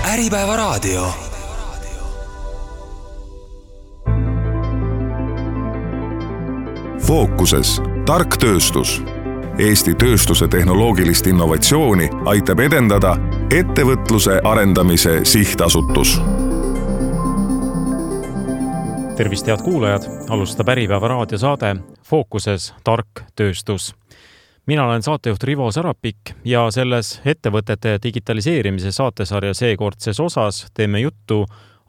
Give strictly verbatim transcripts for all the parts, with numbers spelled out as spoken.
Äripäeva raadio. Fookuses tark tööstus. Eesti tööstuse tehnoloogilist innovatsiooni aitab edendada ettevõtluse arendamise sihtasutus. Tervist, head kuulajad! Alustab Äripäeva raadiosaade Fookuses tark tööstus. Mina olen saatejuht Rivo Sarapik ja selles ettevõtete digitaliseerimise saatesarja seekordses osas teeme juttu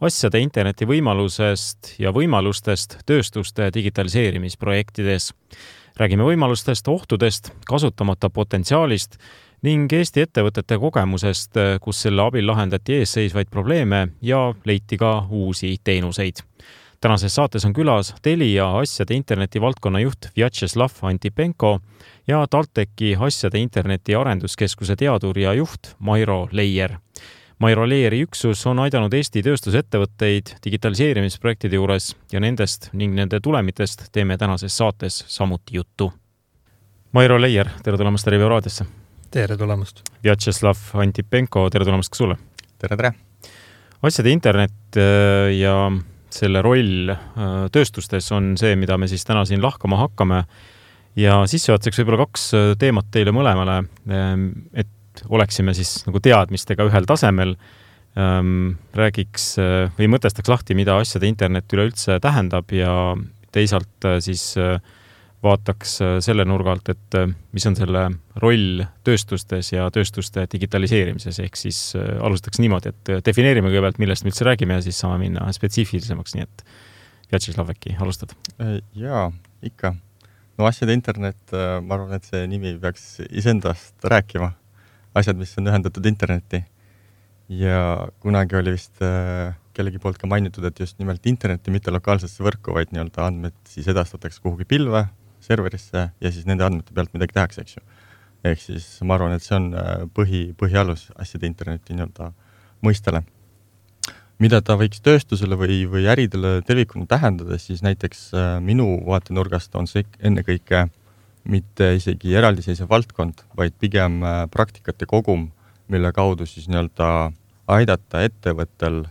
asjade interneti võimalusest ja võimalustest tööstuste digitaliseerimisprojektides. Räägime võimalustest, ohtudest, kasutamata potentsiaalist ning Eesti ettevõtete kogemusest, kus selle abil lahendati eesseisvaid probleeme ja leiti ka uusi teenuseid. Tänases saates on külas Telia asjade interneti valdkonna juht Vjatšeslav Antipenko ja TalTechi asjade interneti arenduskeskuse teadur ja juht Mairo Leier. Mairo Leieri üksus on aidanud Eesti tööstusettevõtteid digitaliseerimisprojektide juures ja nendest ning nende tulemitest teeme tänases saates samuti juttu. Mairo Leier, tere tulemast Äripäeva raadiosse. Tere tulemast. Vjatšeslav Antipenko, tere tulemast ka sulle. Tere, tere. Asjade internet ja selle roll tööstustes on see, mida me siis täna siin lahkama hakkame. Ja sissejuhatuseks võib-olla kaks teemat teile mõlemale, et oleksime siis nagu teadmistega ühel tasemel. Räägiks või mõtestaks lahti, mida asjade internet üleüldse tähendab ja teisalt siis vaataks selle nurgalt, et mis on selle roll tööstustes ja tööstuste digitaliseerimises. Ehk siis alustaks niimoodi, et defineerime kõigepealt, millest me üldse räägime ja siis saame minna spetsiifilisemaks, nii et Vjatšeslav, äkki alustad? Jaa, ikka. No asjade internet, ma arvan, et see nimi peaks isendast rääkima. Asjad, mis on ühendatud internetti. Ja kunagi oli vist kellegi poolt ka mainitud, et just nimelt interneti mitte lokaalsesse võrku, vaid nii-öelda andmed siis edastatakse kuhugi pilve, serverisse ja siis nende andmete pealt midagi tehakse, eks ju. Ehk siis ma arvan, et see on põhi, põhialus asjade interneti nii-öelda mõistele. Mida ta võiks tööstusele või, või äridele tervikuna tähendada, siis näiteks minu vaatenurgast on see enne kõike mitte isegi eraldiseisev valdkond, vaid pigem praktikate kogum, mille kaudu siis nii-öelda aidata ettevõttel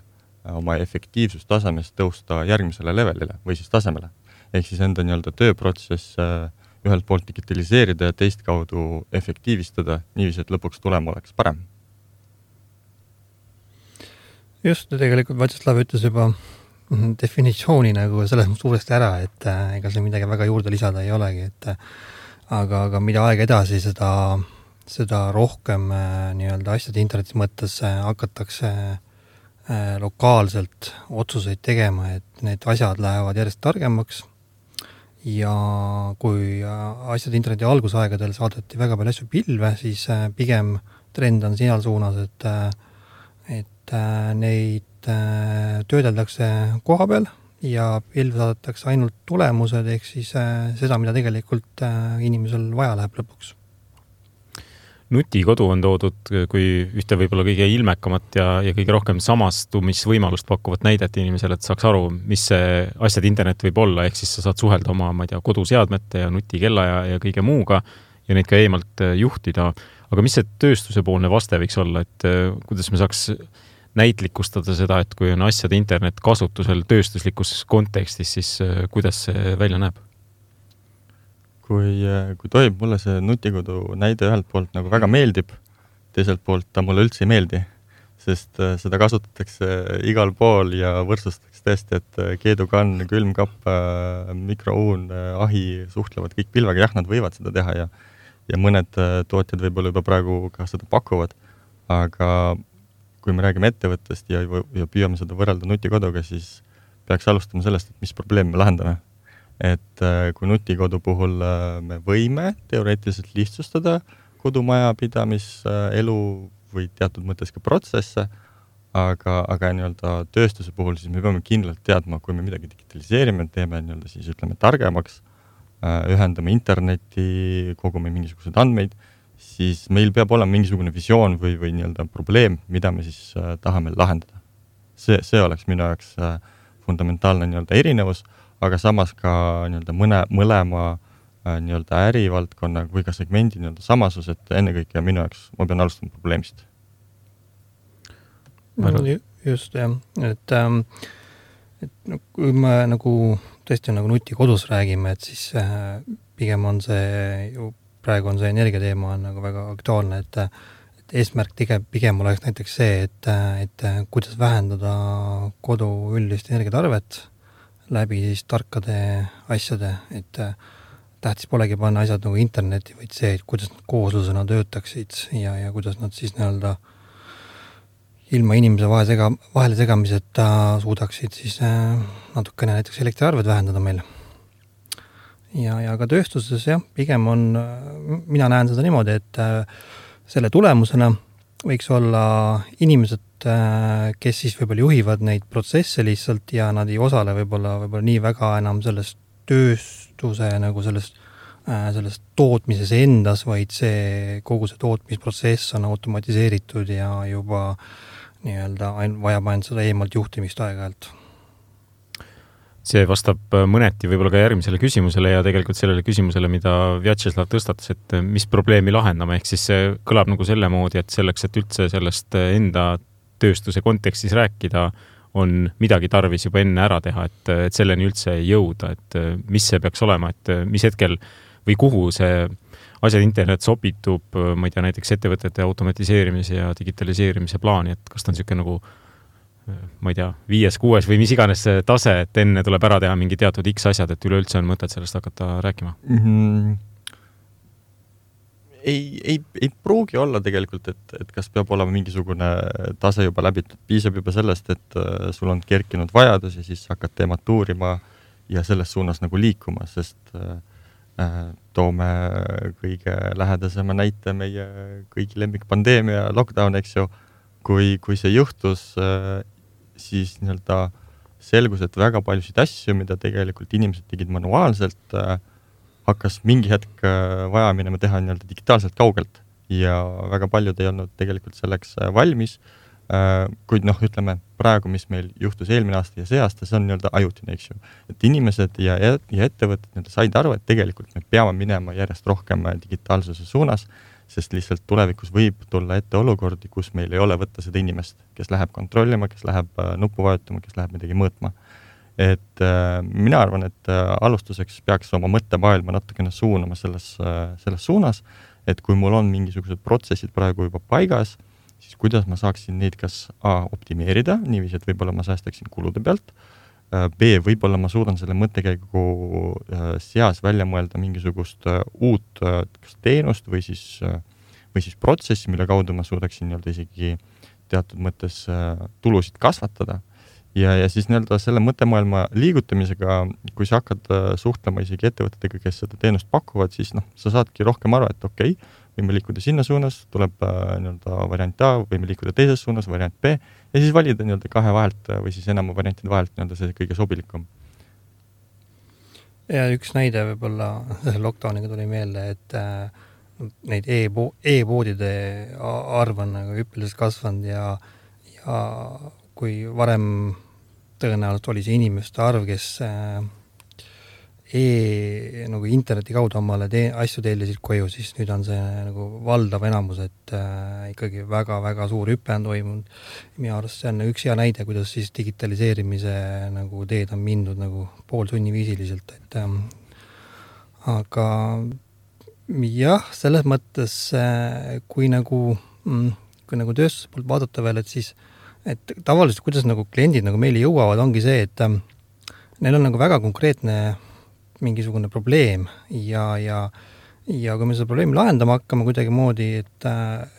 oma efektiivsustasemest tõusta järgmisele levelile või siis tasemele. Ehk siis enda nii-öelda tööprotsess ühelt poolt digitaliseerida ja teist kaudu efektiivistada, niiviisi, et lõpuks tulema oleks parem. Just, tegelikult Vjatšeslav ütles juba definitsiooni nagu selles suuresti ära, et ega see midagi väga juurde lisada ei olegi, et aga, aga mida aeg edasi, seda, seda rohkem nii-öelda asjade internetis mõttes hakatakse lokaalselt otsuseid tegema, et need asjad lähevad järjest targemaks ja kui asjade interneti algusaegadel saadeti väga palju asju pilve, siis pigem trend on sinal suunas, et, et neid töödeldakse koha peal ja pilv saadetakse ainult tulemused, ehk siis seda, mida tegelikult inimesel vaja läheb lõpuks. Nutikodu on toodud kui ühte võib-olla kõige ilmekamat ja, ja kõige rohkem samastumisvõimalust pakkuvat näidet inimesele, et saaks aru, mis see asjade internet võib olla, ehk siis sa saad suhelda oma ma ei tea, koduseadmete ja nutikella ja, ja kõige muuga ja neid ka eemalt juhtida. Aga mis see tööstuse poolne vaste võiks olla, et kuidas me saaks näitlikustada seda, et kui on asjade internet kasutusel tööstuslikus kontekstis, siis kuidas see välja näeb? Kui, kui tohib, mulle see nutikodu näide ühelt poolt nagu väga meeldib, teiselt poolt ta mulle üldse ei meeldi, sest seda kasutatakse igal pool ja võrdsustatakse tõesti, et keedukann, külmkapp, mikrouun, ahi suhtlevad kõik pilvega, jah, nad võivad seda teha ja, ja mõned tootjad võib-olla juba praegu ka seda pakuvad, aga kui me räägime ettevõttest ja, ja püüame seda võrrelda nutikoduga, siis peaks alustama sellest, et mis probleemi me lahendame. Et kui nutikodu puhul me võime teoreetiliselt lihtsustada kodumaja pidamiselu või teatud mõttes ka protsesse, aga, aga nii-öelda tööstuse puhul siis me peame kindlalt teadma, kui me midagi digitaliseerime, teeme nii-öelda siis ütleme targemaks, ühendame internetti, kogume mingisuguseid andmeid, siis meil peab olema mingisugune visioon või, või nii-öelda probleem, mida me siis tahame lahendada. See, see oleks minu jaoks fundamentaalne nii-öelda erinevus, aga samas ka nii-öelda mõne, mõlema nii-öelda ärivaldkonna või ka segmendi nii-öelda samasus, et ennekõike minu jaoks ma pean alustama probleemist. Arvan... Just, jah. Et, ähm, et kui me nagu tõesti nagu nuti kodus räägime, et siis äh, pigem on see, ju praegu on see energiateema on nagu väga aktuaalne, et, et eesmärk tige, pigem oleks näiteks see, et, et kuidas vähendada kodu üldist energiatarvet läbi siis tarkade asjade, et tähtis polegi panna asjad nagu internetti, vaid see, et kuidas nad kooslusena töötaksid ja, ja kuidas nad siis nii-öelda ilma inimese vahe sega, vahele segamiseta suudaksid siis äh, natukene näiteks elektriarved vähendada meil. Ja, ja ka tööstuses jah, pigem on, mina näen seda niimoodi, et äh, selle tulemusena võiks olla inimesed, äh, kes siis võib-olla juhivad neid protsesse lihtsalt ja nad ei osale võib-olla, võib-olla nii väga enam sellest tööstuse nagu sellest, äh, sellest tootmises endas, vaid see, kogu see tootmisprotsess on automatiseeritud ja juba nii-öelda vajab ainult seda eemalt juhtimist aeg-ajalt. See vastab mõneti võib-olla ka järgmisele küsimusele ja tegelikult sellele küsimusele, mida Vjatšeslav tõstatas, et mis probleemi lahendama, ehk siis see kõlab nagu selle moodi, et selleks, et üldse sellest enda tööstuse kontekstis rääkida, on midagi tarvis juba enne ära teha, et, et selleni üldse ei jõuda, et mis see peaks olema, et mis hetkel või kuhu see asjad internet sobitub, ma ei tea, näiteks ettevõtete automatiseerimise ja digitaliseerimise plaani, et kas ta on niisugune nagu, ma ei tea, viies, kuues või mis iganes tase, et enne tuleb ära teha mingi teatud X asjad, et üleüldse on mõtet sellest hakata rääkima? Mm-hmm. Ei, ei, ei pruugi olla tegelikult, et, et kas peab olema mingisugune tase juba läbitud. Piisab juba sellest, et sul on kerkinud vajadus ja siis hakkad teemat uurima ja selles suunas nagu liikuma, sest toome kõige lähedasema näite meie kõigi lemmik pandeemia lockdown, eks ju, kui, kui see juhtus, siis nii-öelda selgus, et väga paljusid asju, mida tegelikult inimesed tegid manuaalselt, hakkas mingi hetk vaja minema teha nii-öelda digitaalselt kaugelt ja väga paljud ei olnud tegelikult selleks valmis. Kuid noh, ütleme praegu, mis meil juhtus eelmine aasta ja see aasta, see on nii-öelda ajutine, eks ju. Et inimesed ja, ja ettevõtted nii-öelda said aru, et tegelikult me peame minema järjest rohkem digitaalsuse suunas, sest lihtsalt tulevikus võib tulla ette olukordi, kus meil ei ole võtta seda inimest, kes läheb kontrollima, kes läheb nuppu vajutama, kes läheb midagi mõõtma. Et äh, mina arvan, et äh, alustuseks peaks oma mõttemaailma natukene suunama selles, äh, selles suunas, et kui mul on mingisugused protsessid praegu juba paigas, siis kuidas ma saaksin neid kas A optimeerida, niiviisi, et võib-olla ma säästaksin kulude pealt, B, võib-olla ma suudan selle mõttekäigu seas välja mõelda mingisugust uut kas teenust või siis, või siis protsessi, mille kaudu ma suudaksin nii-öelda isegi teatud mõttes tulusid kasvatada. Ja, ja siis nii-öelda selle mõttemaailma liigutamisega, kui sa hakkad suhtlema isegi ettevõtetega, kes seda teenust pakuvad, siis noh, sa saadki rohkem aru, et okei, okay, võime liikuda sinna suunas, tuleb nii-öelda variant A, võime liikuda teises suunas, variant B, ja siis valida nii-öelda kahe vahelt või siis enam variantide vahelt nii-öelda see kõige sobilikum. Ja üks näide võib-olla lockdowniga tuli meelde, et äh, neid e-po- e-poodide arv on nagu hüppeliselt kasvanud ja, ja kui varem tõenäoliselt oli see inimeste arv, kes äh, E, nagu interneti kaudu omale te, asju tellisid koju, siis nüüd on see nagu valdav enamus, et äh, ikkagi väga-väga suur hüpe on toimunud. Minu arust see on üks hea näide, kuidas siis digitaliseerimise nagu teed on mindud nagu poolsunniviisiliselt. Et, ähm, aga jah, selles mõttes, äh, kui nagu, mm, kui nagu tööstuse poolt vaadata veel, et siis et tavaliselt, kuidas nagu kliendid nagu meile jõuavad, ongi see, et äh, neil on nagu väga konkreetne mingisugune probleem ja, ja, ja kui me seda probleemi lahendama hakkame kuidagi moodi, et,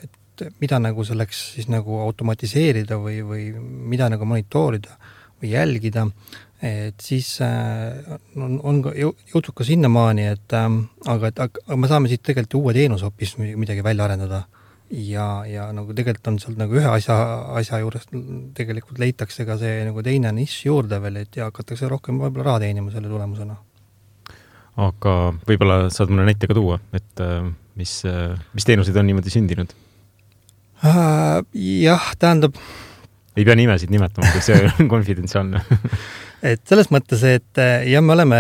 et mida nagu selleks siis nagu automatiseerida või, või mida nagu monitoorida või jälgida, et siis on, on jõutud ka sinnamaani, et aga, et aga me saame siit tegelikult uue teenus hoopis midagi välja arendada ja, ja nagu tegelikult on sealt nagu ühe asja, asja juures tegelikult leitakse ka see nagu teine nišš juurde veel, et ja hakatakse rohkem võib-olla raha teenima selle tulemusena. Aga võib-olla saad mulle näite ka tuua, et mis, mis teenused on niimoodi sündinud? Uh, jah, tähendab... Ei pea nimesid nimetama, kui see on konfidentsiaalne. Et selles mõttes, et ja me oleme,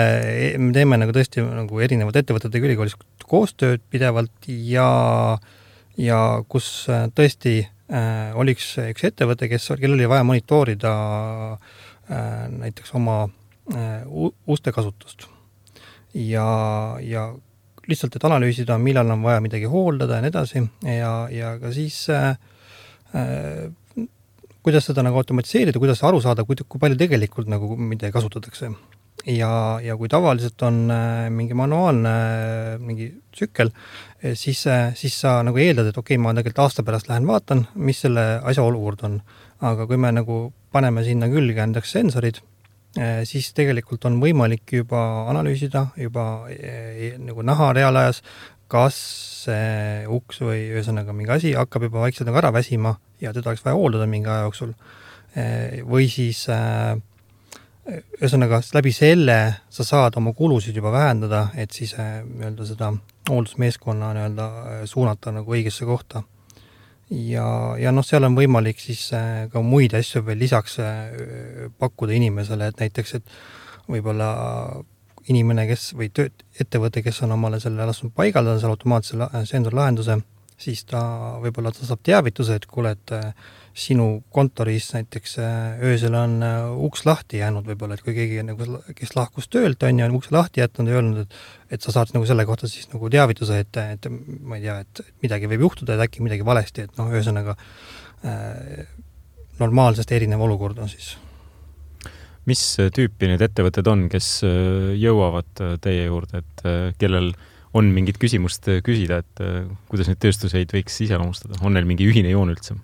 me teeme nagu tõesti nagu erinevad ettevõtete ülikoolis koostööd pidevalt ja, ja kus tõesti äh, oli üks, üks ettevõte, kes, kellel oli vaja monitoorida äh, näiteks oma äh, uste kasutust. Ja, ja lihtsalt, et analüüsida, millal on vaja midagi hooldada ja nii edasi ja, ja ka siis äh, äh, kuidas seda nagu automatiseerida, kuidas aru saada, kui, kui palju tegelikult nagu midagi kasutatakse. Ja, ja kui tavaliselt on äh, mingi manuaalne äh, mingi tsükkel, siis, äh, siis sa nagu eeldad, et okei, okay, ma tegelikult aasta pärast lähen vaatan, mis selle asja olukord on. Aga kui me nagu paneme sinna külge endaks sensorid, äh, siis tegelikult on võimalik juba analüüsida, juba äh, nagu näha reaalajas, kas see uks või ühesõnaga mingi asi hakkab juba vaikselt nagu ära väsima ja teda oleks vaja hooldada mingi aja jooksul. Äh, või siis äh, ühesõnaga, läbi selle sa saad oma kulusid juba vähendada, et siis nii-öelda seda hooldusmeeskonna nii-öelda suunata nagu õigesse kohta. Ja, ja noh, seal on võimalik siis ka muid asju veel lisaks pakkuda inimesele, et näiteks, et võib-olla inimene, kes või tööt, ettevõte, kes on omale selle lasknud paigaldada, seal automaatsele sensorlahenduse, siis ta võib-olla ta saab teavituse, et kuule, et sinu kontoris näiteks öösel on uks lahti jäänud võib-olla, et kui keegi, nagu, kes lahkus töölt on ja on uks lahti jätnud ja öelnud, et, et sa saad nagu selle kohta siis nagu teavituse, et, et ma ei tea, et midagi võib juhtuda, et äkki midagi valesti, et noh, ühesõnaga äh, normaalsest erinev olukord on siis. Mis tüüpi need ettevõtted on, kes jõuavad teie juurde, et kellel on mingit küsimust küsida, et kuidas neid tööstuseid võiks iseloomustada? On neil mingi ühine joon üldse?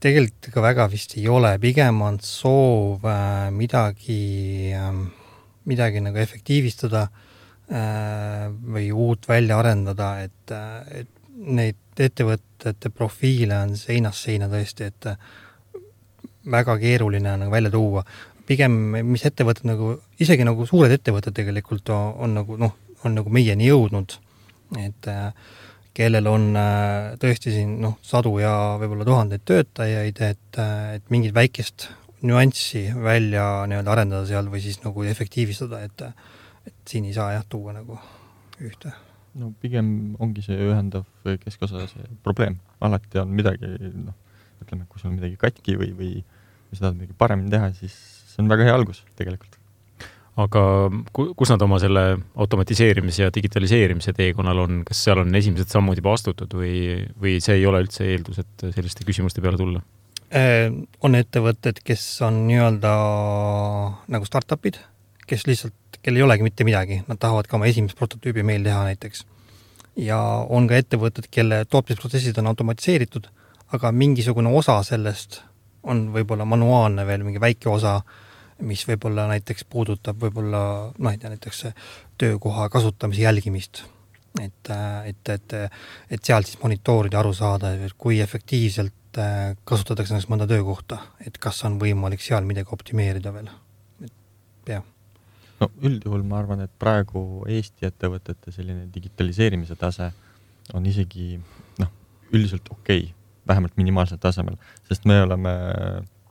Tegelikult ka väga vist ei ole, pigem on soov äh, midagi, äh, midagi nagu efektiivistada äh, või uut välja arendada, et, äh, et neid ettevõtete profiile on seinast seina tõesti, et äh, väga keeruline on nagu välja tuua. Pigem, mis ettevõtted nagu, isegi nagu suured ettevõtted tegelikult on, on nagu, noh, on nagu meieni jõudnud, et äh, kellel on tõesti siin noh, sadu ja võib-olla tuhandeid töötajaid, et, et mingit väikest nüanssi välja nii-öelda arendada seal või siis nagu efektiivistada, et, et siin ei saa jah tuua nagu ühte. No pigem ongi see ühendav keskosa see probleem. Alati on midagi, noh, ütleme, kui sul on midagi katki või, või, või seda midagi paremini teha, siis see on väga hea algus tegelikult. Aga kus nad oma selle automatiseerimise ja digitaliseerimise teekonnal on? Kas seal on esimesed sammud juba astutud või, või see ei ole üldse eeldus, et selliste küsimuste peale tulla? On ettevõtted, kes on nii-öelda nagu startupid, kes lihtsalt, kel ei olegi mitte midagi. Nad tahavad ka oma esimest prototüübi meil teha näiteks. Ja on ka ettevõtted, kelle tootmisprotsessid on automatiseeritud, aga mingisugune osa sellest on võib-olla manuaalne veel, mingi väike osa, mis võib-olla näiteks puudutab võib-olla noh, et näiteks töökoha kasutamise jälgimist. Et, et, et, et seal siis monitoorida aru saada, et kui efektiivselt kasutatakse näiteks mõnda töökohta, et kas on võimalik seal midagi optimeerida veel. Ja. No üldjuhul ma arvan, et praegu Eesti ettevõtete selline digitaliseerimise tase on isegi noh, üldiselt okei, vähemalt minimaalsel tasemel, sest me oleme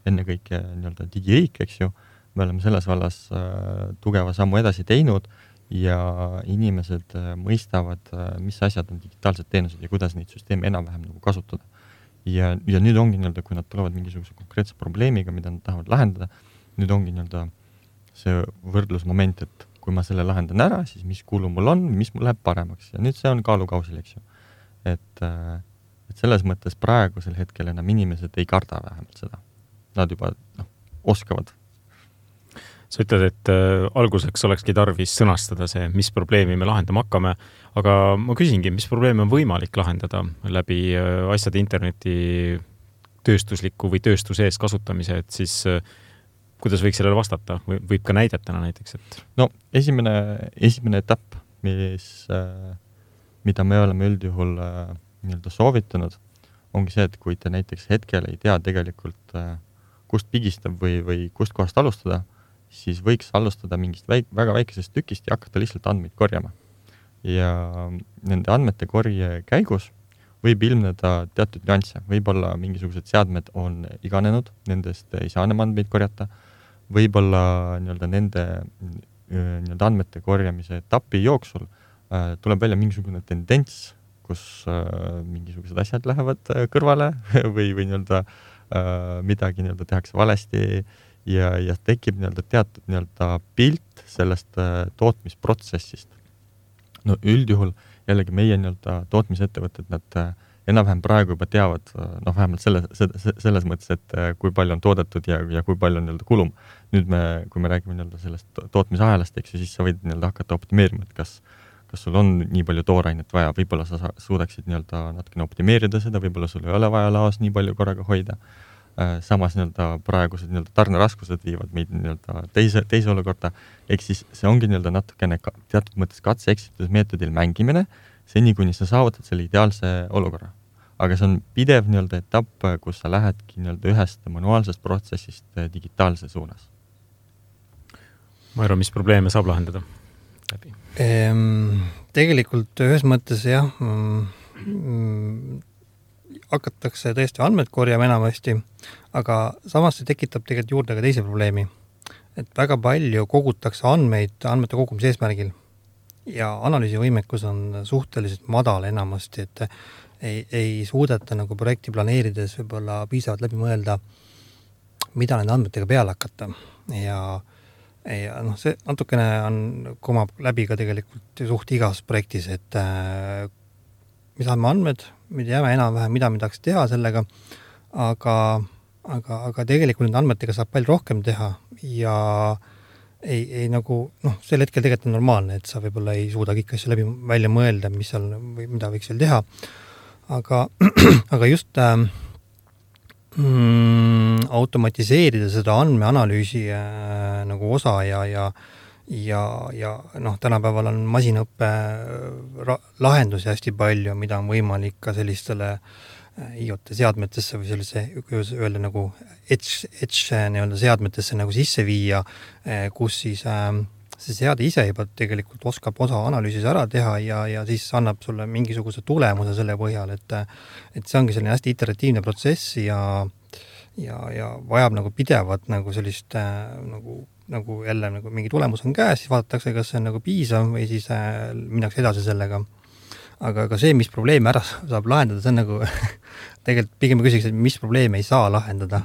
ennekõike nii-öelda digiriik, eks ju. Me oleme selles vallas äh, tugeva sammu edasi teinud ja inimesed äh, mõistavad, äh, mis asjad on digitaalsed teenused ja kuidas neid süsteeme enam-vähem nagu kasutada. Ja, ja nüüd ongi nii-öelda, kui nad tulevad mingisuguse konkreetse probleemiga, mida nad tahavad lahendada, nüüd ongi nii-öelda see võrdlusmoment, et kui ma selle lahendan ära, siis mis kulu mul on, mis mul läheb paremaks. Ja nüüd see on kaalukausil, eks ju. Et, äh, et selles mõttes praegusel hetkel enam inimesed ei karda vähemalt seda. Nad juba noh, oskavad. Sa ütled, et äh, alguseks olekski tarvis sõnastada see, mis probleemi me lahendama hakkame, aga ma küsingi, mis probleemi on võimalik lahendada läbi äh, asjade interneti tööstusliku või tööstusees kasutamise, et siis äh, kuidas võiks sellele vastata? Või, võib ka näidetena näiteks, et... No esimene, esimene etapp, mis, äh, mida me oleme üldjuhul äh, nii-öelda soovitanud, ongi see, et kui te näiteks hetkel ei tea tegelikult, äh, kust pigistab või, või kust kohast alustada, siis võiks alustada mingist väik, väga väikesest tükist ja hakata lihtsalt andmeid korjama. Ja nende andmete korje käigus võib ilmneda teatud nüansse. Võib-olla mingisugused seadmed on iganenud, nendest ei saa enam andmeid korjata. Võib-olla nii-öelda nende nii-öelda andmete korjamise etapi jooksul äh, tuleb välja mingisugune tendents kus äh, mingisugused asjad lähevad äh, kõrvale või, või nii-öelda äh, midagi nii-öelda tehakse valesti ja, ja tekib nii-öelda teatud nii-öelda pilt sellest äh, tootmisprotsessist. No üldjuhul jällegi meie nii-öelda tootmisettevõtted, nad äh, enam-vähem praegu juba teavad, noh vähemalt selles, selles mõttes, et kui palju on toodetud ja, ja kui palju on nii-öelda kulum. Nüüd me, kui me räägime nii-öelda sellest tootmisahelast, eks ju, siis sa võid nii-öelda hakata optimeerima, et kas, kas sul on nii palju toorainet vaja, võib-olla sa suudaksid nii-öelda natukene optimeerida seda, võib-olla sul ei ole vaja laos nii palju korraga hoida. Samas nii-öelda praegused nii-öelda tarneraskused viivad meid nii-öelda teise, teise olukorda, ehk siis see ongi nii-öelda natukene ka, teatud mõttes katse-eksitusmeetodil mängimine, seni, kuni sa saavutad selle ideaalse olukorra. Aga see on pidev nii-öelda etapp, kus sa lähedki nii-öelda ühest manuaalsest protsessist digitaalse suunas. Mairo, mis probleeme saab lahendada läbi? Ehm, tegelikult ühes mõttes jah, mm, hakatakse tõesti andmed korjama enamasti, aga samas see tekitab tegelikult juurde ka teise probleemi. Et väga palju kogutakse andmeid andmete kogumise eesmärgil. Ja analüüsivõimekus on suhteliselt madal enamasti, et ei, ei suudeta nagu projekti planeerides võib-olla piisavalt läbi mõelda, mida nende andmetega peale hakata. Ja, ja noh, see natukene on, kumab läbi ka tegelikult suht igas projektis, et äh, me saame andmed, me teame enam-vähem, mida me tahaks teha sellega, aga, aga, aga tegelikult nende andmetega saab palju rohkem teha ja Ei, ei nagu, noh, sel hetkel tegelikult on normaalne, et sa võib-olla ei suuda kõik asju läbi välja mõelda, mis seal, või mida võiks veel teha. Aga, aga just äh, mm, automatiseerida seda andmeanalüüsi äh, nagu osa ja, ja, ja, ja noh, tänapäeval on masinaõppe lahendusi hästi palju, mida on võimalik ka sellistele I O T seadmetesse või sellise öelda nagu edge, edge nii-öelda seadmetesse nagu sisse viia, kus siis äh, see seade ise juba tegelikult oskab osa analüüsis ära teha ja, ja siis annab sulle mingisuguse tulemuse selle põhjal, et, et see ongi selline hästi iteratiivne protsess ja, ja, ja vajab nagu pidevat nagu sellist äh, nagu, nagu jälle nagu mingi tulemus on käes, siis vaadatakse, kas see on nagu piisav või siis äh, minnakse edasi sellega. Aga ka see, mis probleeme ära saab lahendada, see on nagu tegelikult pigem küsiks, et mis probleeme ei saa lahendada.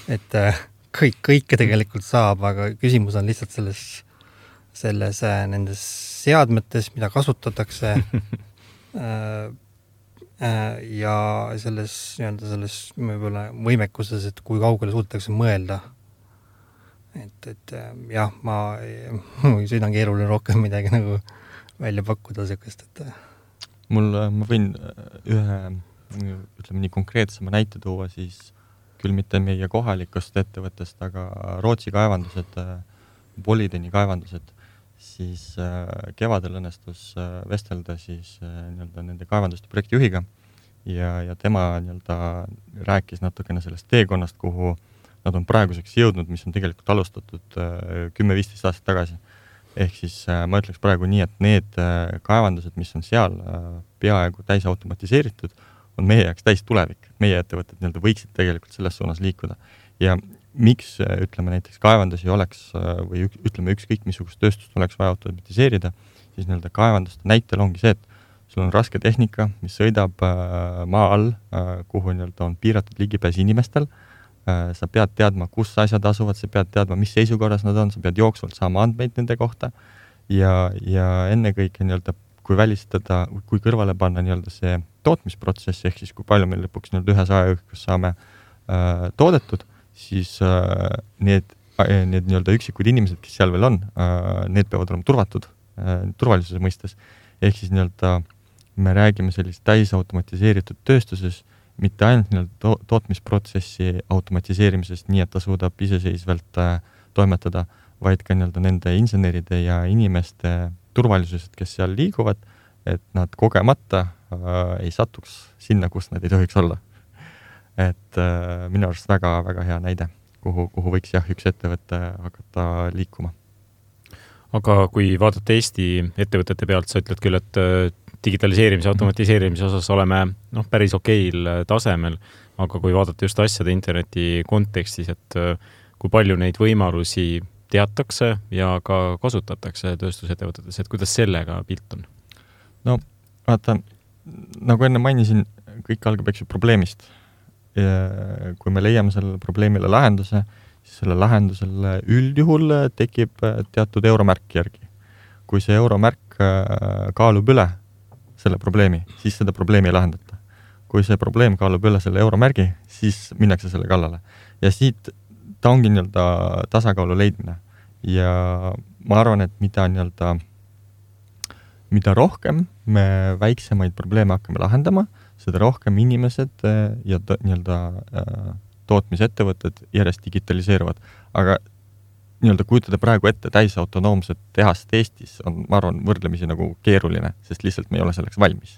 et kõik, kõike tegelikult saab, aga küsimus on lihtsalt selles, selles nendes seadmetes, mida kasutatakse ja selles, nii-öelda selles võib-olla võimekuses, et kui kaugele suudetakse mõelda. Et, et jah, ma siin on keeruline rohkem midagi nagu välja pakkuda sekast, et mul, ma võin ühe, ütleme nii konkreetsema näite tuua, siis küll mitte meie kohalikust ettevõttest, aga Rootsi kaevandused, Bolideni kaevandused, siis kevadel õnnestus vestelda siis nii-öelda nende kaevanduste projektijuhiga ja, ja tema nii-öelda rääkis natukene sellest teekonnast, kuhu nad on praeguseks jõudnud, mis on tegelikult alustatud kümme viisteist aastat tagasi. Ehk siis ma ütleks praegu nii, et need kaevandused, mis on seal peaaegu täis automatiseeritud, on meie jaoks täis tulevik. Meie ettevõtted nii-öelda võiksid tegelikult selles suunas liikuda. Ja miks, ütleme näiteks kaevandusi oleks või ütleme ükskõik missugust tööstust oleks vaja automatiseerida, siis nii-öelda kaevanduste näitel ongi see, et sul on raske tehnika, mis sõidab maa all, kuhu nii-öelda on piiratud ligipääs inimestel. Sa pead teadma, kus asjad asuvad, sa pead teadma, mis seisukorras nad on, sa pead jooksvalt saama andmeid nende kohta ja, ja enne kõike nii-öelda, kui välistada, kui kõrvale panna nii-öelda see tootmisprotsess, ehk siis kui palju meil lõpuks nii-öelda ühes ajaühikus saame äh, toodetud, siis äh, need, need nii-öelda üksikud inimesed, kes seal veel on, äh, need peavad olema turvatud, äh, turvalisuse mõistes. Ehk siis nii-öelda me räägime sellist täisautomatiseeritud tööstuses, mitte ainult nii-öelda to- tootmisprotsessi automatiseerimisest nii, et ta suudab iseseisvalt äh, toimetada, vaid ka nii-öelda nende inseneride ja inimeste turvalisused, kes seal liiguvad, et nad kogemata äh, ei satuks sinna, kus nad ei tohiks olla. Et äh, minu arust väga, väga hea näide, kuhu, kuhu võiks jah, üks ettevõtte hakata liikuma. Aga kui vaadata Eesti ettevõtete pealt, sa ütled küll, et digitaliseerimise, automatiseerimise osas oleme noh, päris okeil tasemel, aga kui vaadata just asjade interneti kontekstis, et kui palju neid võimalusi teatakse ja ka kasutatakse tööstusettevõtetes, et kuidas sellega pilt on? No vaata, nagu enne mainisin, kõik algab eks ju probleemist. Ja kui me leiame sellele probleemile lahenduse, siis selle lahendusele üldjuhul tekib teatud euromärk järgi. Kui see euromärk kaalub üle selle probleemi, siis seda probleemi ei lahendata. Kui see probleem kaalub üle selle euromärgi, siis minnakse selle kallale. Ja siit ta ongi nii-öelda tasakaalu leidmine. Ja ma arvan, et mida nii-öelda mida rohkem me väiksemaid probleeme hakkame lahendama, seda rohkem inimesed ja to, nii-öelda tootmisettevõtted järjest digitaliseeruvad. Aga nii-öelda kujutada praegu ette täis autonoomset tehast Eestis on, ma arvan, võrdlemisi nagu keeruline, sest lihtsalt me ei ole selleks valmis.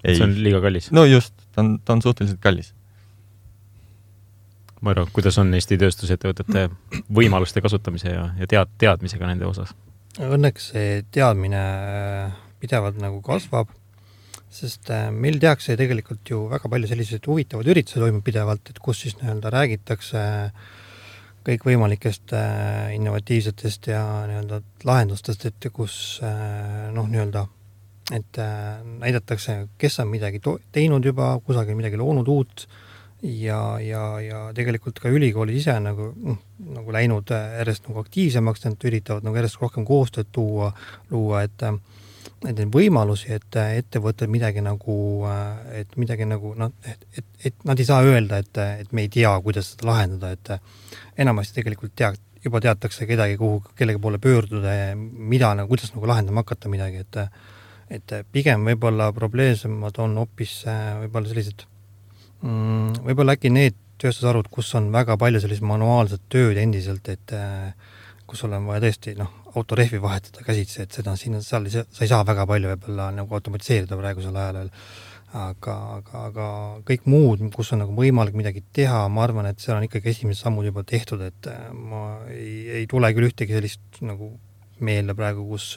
Ei. See on liiga kallis. No just, ta on, ta on suhteliselt kallis. Ma arvan, kuidas on Eesti tööstusettevõtete võimaluste kasutamise ja, ja tead, teadmisega nende osas? Õnneks see teadmine pidevalt nagu kasvab, sest meil tehakse tegelikult ju väga palju selliseid huvitavad üritused toimub pidevalt, et kus siis nii-öelda räägitakse kõik võimalikest innovatiivsetest ja nii-öelda lahendustest, et kus noh, nii-öelda et näidatakse, kes on midagi to- teinud juba, kusagil midagi loonud uut ja, ja, ja tegelikult ka ülikoolid ise nagu, nagu läinud järjest nagu aktiivsemaks, nad üritavad nagu järjest rohkem koostööd tuua, luua, et et neid võimalusi, et ettevõtted midagi nagu, et midagi nagu, no, et, et, et nad ei saa öelda, et, et me ei tea, kuidas seda lahendada, et enamasti tegelikult tead, juba teatakse kedagi, kuhu, kellegi poole pöörduda ja mida, nagu, kuidas nagu lahendama hakata midagi, et, et pigem võib-olla probleemsemad on hoopis võib-olla sellised, võib-olla äkki need tööstusarvud, kus on väga palju sellised manuaalsed tööd endiselt, et kus sul on vaja tõesti noh, autorehvi vahetada käsitsi, et seda siin, seal sa ei saa väga palju võib-olla nagu automatiseerida praegusel ajal, aga, aga, aga kõik muud, kus on nagu võimalik midagi teha, ma arvan, et seal on ikkagi esimesed sammud juba tehtud, et ma ei, ei tule küll ühtegi sellist nagu meelde praegu, kus,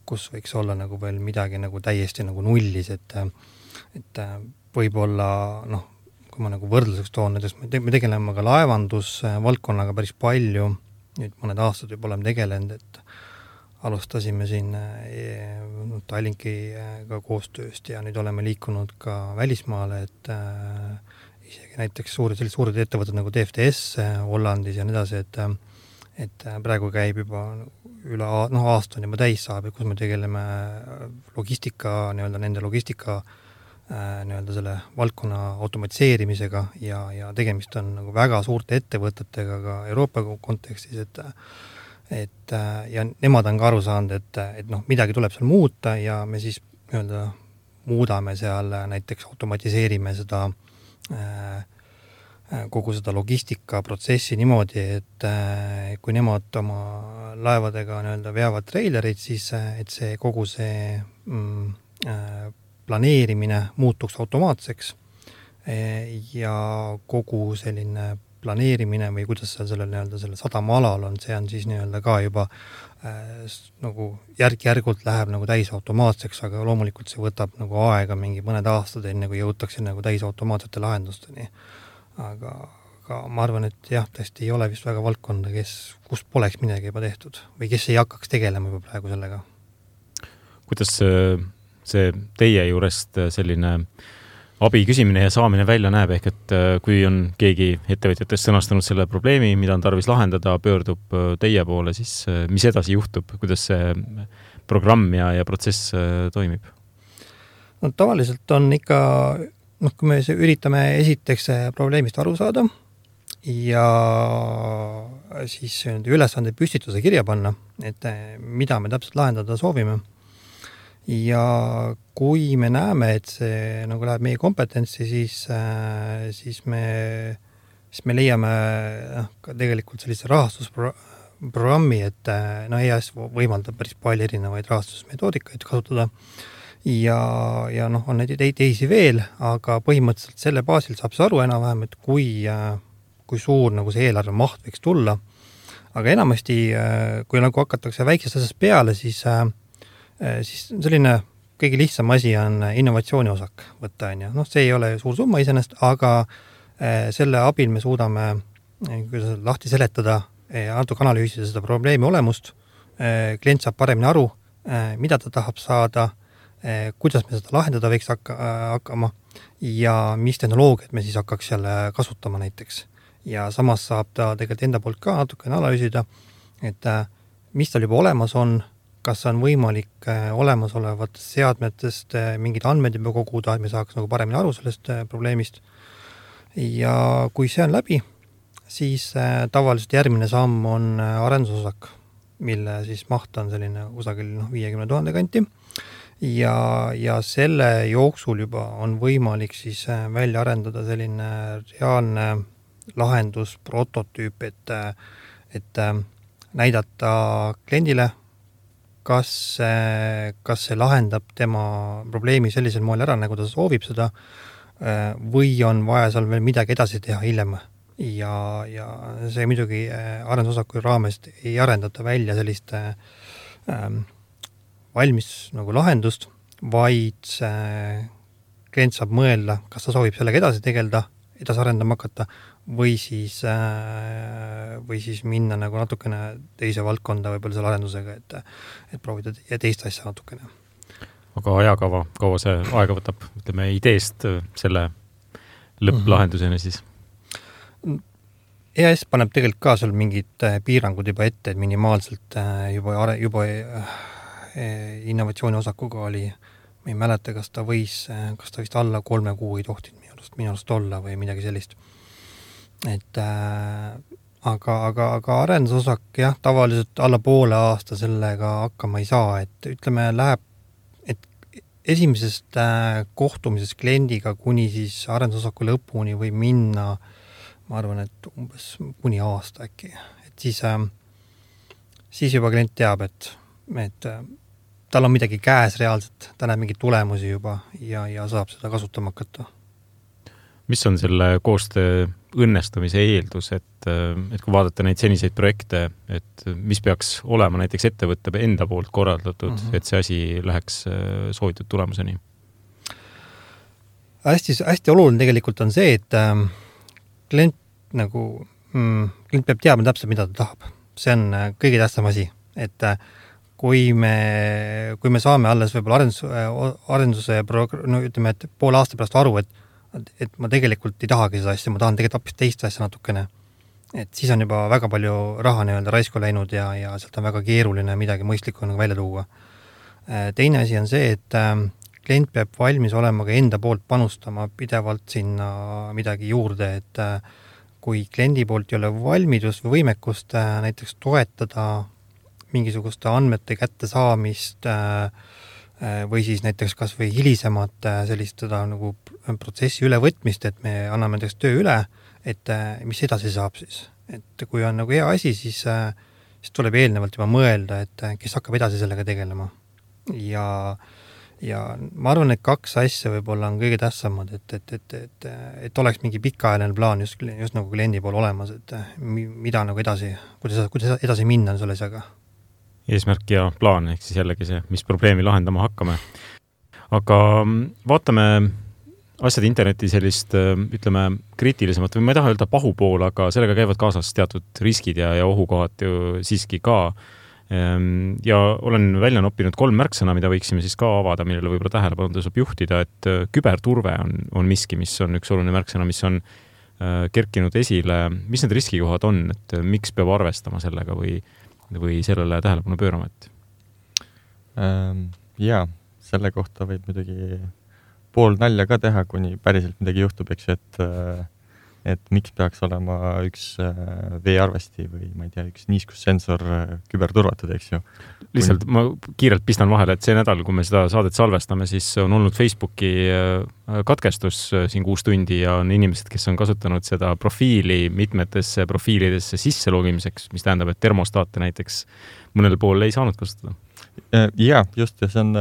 kus võiks olla nagu veel midagi nagu täiesti nagu nullis, et, et võib-olla noh, kui ma nagu võrdluseks toon, näiteks me tegeleme ka laevandus valdkonnaga päris palju, nüüd mõned aastad juba oleme tegelenud, et alustasime siin Tallinkiga koostööst ja nüüd oleme liikunud ka välismaale, et isegi näiteks suured, sellised suured ettevõtted nagu D F D S Hollandis ja nii edasi, et, et praegu käib juba üle no, aasta on juba täis saab, kus me tegeleme logistika, nii-öelda nende logistika nii-öelda selle valdkonna automatiseerimisega ja, ja tegemist on nagu väga suurte ettevõtetega ka Euroopa kontekstis, et, et ja nemad on ka aru saanud, et, et noh, midagi tuleb seal muuta ja me siis nii-öelda muudame seal näiteks automatiseerime seda kogu seda logistikaprotsessi niimoodi, et kui nemad oma laevadega nii-öelda veavad treilerid, siis et see kogu see mm, planeerimine muutuks automaatseks ja kogu selline planeerimine või kuidas seal selle, nii-öelda selle sadama alal on, see on siis nii-öelda ka juba äh, nagu järg-järgult läheb nagu täis automaatseks, aga loomulikult see võtab nagu aega mingi mõned aastad, enne kui jõutakse nagu täis automaatsete lahendusteni. Aga, aga ma arvan, et jah, tõesti ei ole vist väga valdkonda, kes, kus poleks midagi juba tehtud või kes ei hakkaks tegelema juba praegu sellega. Kuidas see see teie juurest selline abi küsimine ja saamine välja näeb, ehk et kui on keegi ettevõtjatest sõnastanud selle probleemi, mida on tarvis lahendada, pöördub teie poole, siis mis edasi juhtub, kuidas see programm ja, ja protsess toimib? No tavaliselt on ikka, noh, kui me üritame esiteks probleemist aru saada ja siis ülesande püstituse kirja panna, et mida me täpselt lahendada soovime. Ja kui me näeme, et see nagu läheb meie kompetentsi, siis, siis, me, siis me leiame noh, ka tegelikult sellise rahastusprogrammi, et no, E A S võimaldab päris palju erinevaid rahastusmetoodikaid kasutada ja, ja noh, on neid teisi veel, aga põhimõtteliselt selle baasil saab see aru enam-vähem, et kui, kui suur nagu see eelarve maht võiks tulla. Aga enamasti, kui nagu hakatakse väiksest asjast peale, siis siis selline kõige lihtsam asi on innovatsiooni osak võtta, on ju. Noh, see ei ole suur summa iseenesest, aga selle abil me suudame kuidas lahti seletada, natuke analüüsida seda probleemi olemust, klient saab paremini aru, mida ta tahab saada kuidas me seda lahendada võiks hakka, hakkama ja mis tehnoloogiat me siis hakkaks jälle kasutama näiteks. Ja samas saab ta tegelikult enda poolt ka natukene analüüsida, et mis tal juba olemas on, kas on võimalik olemasolevatest seadmetest mingid andmed juba koguda, et me saaks nagu paremini aru sellest probleemist. Ja kui see on läbi, siis tavaliselt järgmine samm on arendusosak, mille siis maht on selline kusagil no, viiekümne tuhande kanti. Ja, ja selle jooksul juba on võimalik siis välja arendada selline reaalne lahendus, prototüüp, et, et näidata kliendile, kas, kas see lahendab tema probleemi sellisel moel ära, nagu ta soovib seda, või on vaja seal veel midagi edasi teha hiljem. Ja, ja see muidugi arendusosaku raames ei arendata välja sellist ähm, valmis nagu lahendust, vaid see klient saab mõelda, kas ta soovib sellega edasi tegelda, edasi arendama hakata või siis, või siis minna nagu natukene teise valdkonda võib-olla selle arendusega, et, et proovida ja teist asja natukene. Aga ajakava, kaua see aega võtab, ütleme ideest selle lõpplahenduseni siis? E A S paneb tegelikult ka seal mingid piirangud juba ette, et minimaalselt juba, juba innovatsiooni osakuga oli, ma ei mäleta, kas ta võis, kas ta vist alla kolme kuu ei tohtinud minu arust, minu arust olla või midagi sellist. Et äh, aga, aga, aga arendusosak, jah, tavaliselt alla poole aasta sellega hakkama ei saa, et ütleme, läheb, et esimesest äh, kohtumisest kliendiga kuni siis arendusosaku lõpuni või minna, ma arvan, et umbes kuni aasta äkki. Et siis, äh, siis juba klient teab, et, et äh, tal on midagi käes reaalselt, ta näeb mingeid tulemusi juba ja, ja saab seda kasutama hakata. Mis on selle koostöö õnnestumise eeldus, et, et kui vaadata neid seniseid projekte, et mis peaks olema näiteks ettevõtte enda poolt korraldatud, mm-hmm. et see asi läheks soovitud tulemuseni? Hästi, hästi oluline tegelikult on see, et äh, klient, nagu, mm, klient peab teadma täpselt, mida ta tahab. See on äh, kõige tähtsam asi, et äh, kui me, kui me saame alles võib-olla arendus, arenduse progr- no ütleme, et poole aasta pärast aru, et, et ma tegelikult ei tahagi seda asja, ma tahan tegelikult hoopis teist asja natukene. Et siis on juba väga palju raha nii-öelda raisku läinud ja, ja sealt on väga keeruline midagi mõistlikku nagu välja tuua. Teine asi on see, et klient peab valmis olema ka enda poolt panustama pidevalt sinna midagi juurde, et kui kliendi poolt ei ole valmidust või võimekust näiteks toetada mingisuguste andmete kätte saamist või siis näiteks kas või hilisemat sellist seda nagu protsessi ülevõtmist, et me anname näiteks töö üle, et mis edasi saab siis. Et kui on nagu hea asi, siis, siis tuleb eelnevalt juba mõelda, et kes hakkab edasi sellega tegelema. Ja, ja ma arvan, et kaks asja võib-olla on kõige tähtsamad, et, et, et, et, et oleks mingi pikaajaline plaan just, just nagu kliendi pool olemas, et mida nagu edasi, kuidas, kuidas edasi minna selle asjaga. Eesmärk ja plaan, ehk siis jällegi see, mis probleemi lahendama hakkame. Aga vaatame asjad interneti sellist, ütleme, kriitilisemat, või ma ei taha öelda pahupool, aga sellega käivad kaasas teatud riskid ja, ja ohukohad ju siiski ka. Ja olen välja noppinud kolm märksõna, mida võiksime siis ka avada, millele võib-olla tähelepanu tasub juhtida, et küberturve on, on miski, mis on üks oluline märksõna, mis on kerkinud esile. Mis need riskikohad on, et miks peab arvestama sellega või või sellele tähelepanu pööramat? Ähm, jaa, selle kohta võib muidugi pool nalja ka teha, kuni päriselt midagi juhtub, eks, et, et miks peaks olema üks veearvesti või ma ei tea, üks niiskussensor küberturvatud, eks ju. Lihtsalt ma kiirelt pistan vahele, et see nädal, kui me seda saadet salvestame, siis on olnud Facebooki katkestus siin kuus tundi ja on inimesed, kes on kasutanud seda profiili mitmetesse profiilidesse sisse logimiseks, mis tähendab, et termostaate näiteks mõnel pool ei saanud kasutada. Jaa, just, ja see on,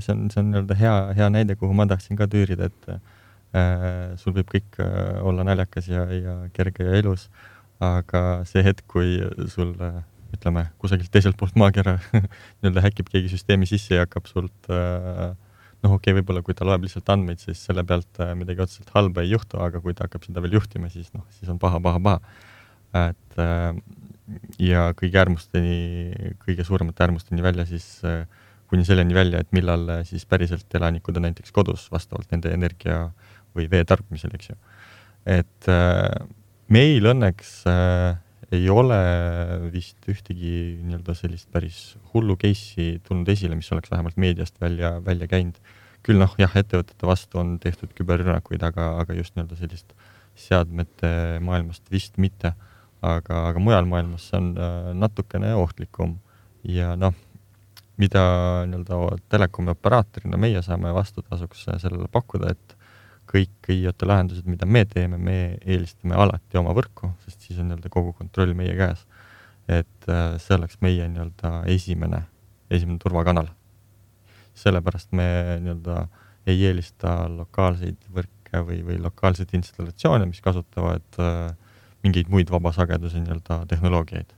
see on, see on hea, hea näide, kuhu ma tahtsin ka tüürida, et äh, sul võib kõik olla naljakas ja, ja kerge ja elus, aga see hetk, kui sul ütleme, kusagilt teiselt poolt maakera nii-öelda häkib keegi süsteemi sisse ja hakkab sult äh, noh, okei, okay, võib-olla kui ta loeb lihtsalt andmeid, siis selle pealt äh, midagi otseselt halba ei juhtu, aga kui ta hakkab seda veel juhtima, siis noh, siis on paha, paha, paha. Et äh, ja kõige äärmusteni, kõige suuremate äärmusteni välja siis, äh, kuni selleni välja, et millal siis päriselt elanikud on näiteks kodus vastavalt nende energia või vee tarbimisel, eks ju. Et meil õnneks ei ole vist ühtegi nii-öelda sellist päris hullu case'i tulnud esile, mis oleks vähemalt meediast välja, välja käinud. Küll noh, jah, ettevõtete vastu on tehtud küberrünnakuid, aga, aga just nii-öelda sellist seadmete maailmast vist mitte. Aga, aga mujal maailmas on natukene ohtlikum ja noh, mida nii-öelda telekomi operaatorina meie saame vastutasuks sellele pakkuda, et kõik I O T lahendused, mida me teeme, me eelistame alati oma võrku, sest siis on nii-öelda kogu kontroll meie käes. Et see oleks meie nii-öelda esimene, esimene turvakanal. Sellepärast me nii-öelda ei eelista lokaalseid võrke või, või lokaalseid installatsioone, mis kasutavad mingeid muid vabasageduse nii-öelda tehnoloogiaid.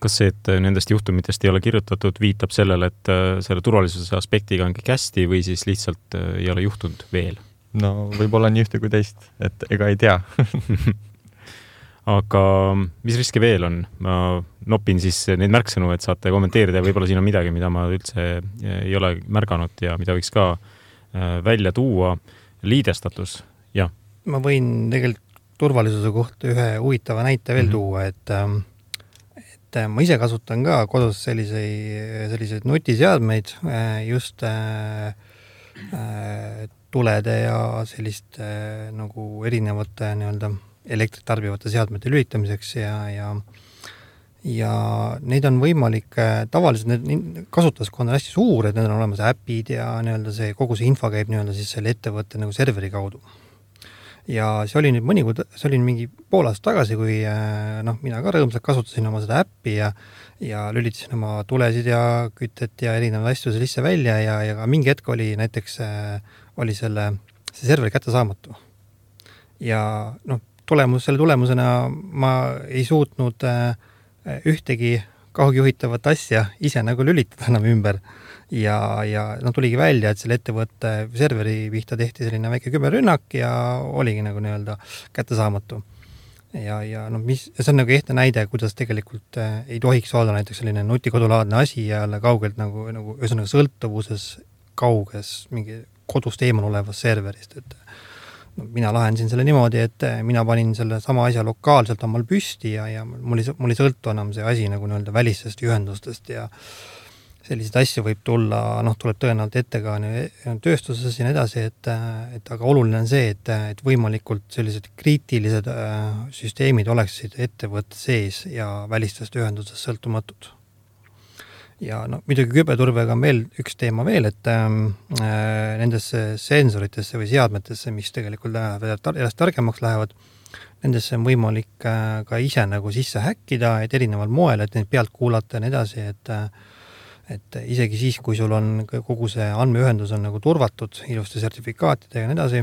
Kas see, et nendest juhtumitest ei ole kirjutatud, viitab sellele, et selle turvalisuse aspektiga on kõik hästi või siis lihtsalt ei ole juhtunud veel? No võib-olla nii ühte kui teist, et ega ei tea. Aga mis riske veel on? Ma nopin siis neid märksõnu, et saate kommenteerida ja võib-olla siin on midagi, mida ma üldse ei ole märganud ja mida võiks ka välja tuua. Liidestatus, jah. Ma võin tegelikult turvalisuse kohta ühe huvitava näite veel mm-hmm. tuua, et et ma ise kasutan ka kodus selliseid, selliseid nutiseadmeid just äh, tulede ja selliste nagu erinevate nii-öelda elektrit tarbivate seadmete lülitamiseks ja, ja, ja neid on võimalik, tavaliselt need kasutuskond on hästi suur, et need on olemas äpid ja nii-öelda see, kogu see info käib nii-öelda siis selle ettevõtte nagu serveri kaudu. Ja see oli nüüd mõni, see oli mingi pool aasta tagasi, kui noh, mina ka rõõmsalt kasutasin oma seda äppi ja, ja lülitasin oma tulesid ja kütet ja erinevaid asju sisse välja ja, ja ka mingi hetk oli näiteks oli selle, see serveri kättesaamatu. Ja noh, tulemus, selle tulemusena ma ei suutnud ühtegi kaugjuhitavat asja ise nagu lülitada enam ümber. Ja, ja no tuligi välja, et selle ettevõtte serveri pihta tehti selline väike küberrünnak ja oligi nagu nii-öelda kättesaamatu. Ja, ja no mis, see on nagu ehtne näide, kuidas tegelikult ei tohiks olla näiteks selline nutikodulaadne asi ja jälle kaugelt nagu, nagu ühesõnaga sõltuvuses kauges mingi kodust eemal olevas serverist. Et no, mina lahendasin selle niimoodi, et mina panin selle sama asja lokaalselt omal püsti ja, ja mul ei, mul ei sõltu enam see asi nagu nii-öelda välistest ühendustest ja selliseid asju võib tulla, noh, tuleb tõenäoliselt ette ka tööstuses ja edasi, et, et aga oluline on see, et, et võimalikult sellised kriitilised süsteemid oleksid ettevõtte sees ja välistest ühendusest sõltumatud. Ja no, muidugi küberturvega on veel üks teema veel, et äh, nendesse sensoritesse või seadmetesse, mis tegelikult järjest targemaks lähevad, nendesse on võimalik äh, ka ise nagu sisse häkkida, et erineval moel, et neid pealt kuulata ja nii edasi, et et isegi siis, kui sul on kogu see andmeühendus on nagu turvatud ilusti sertifikaatidega ja nii edasi,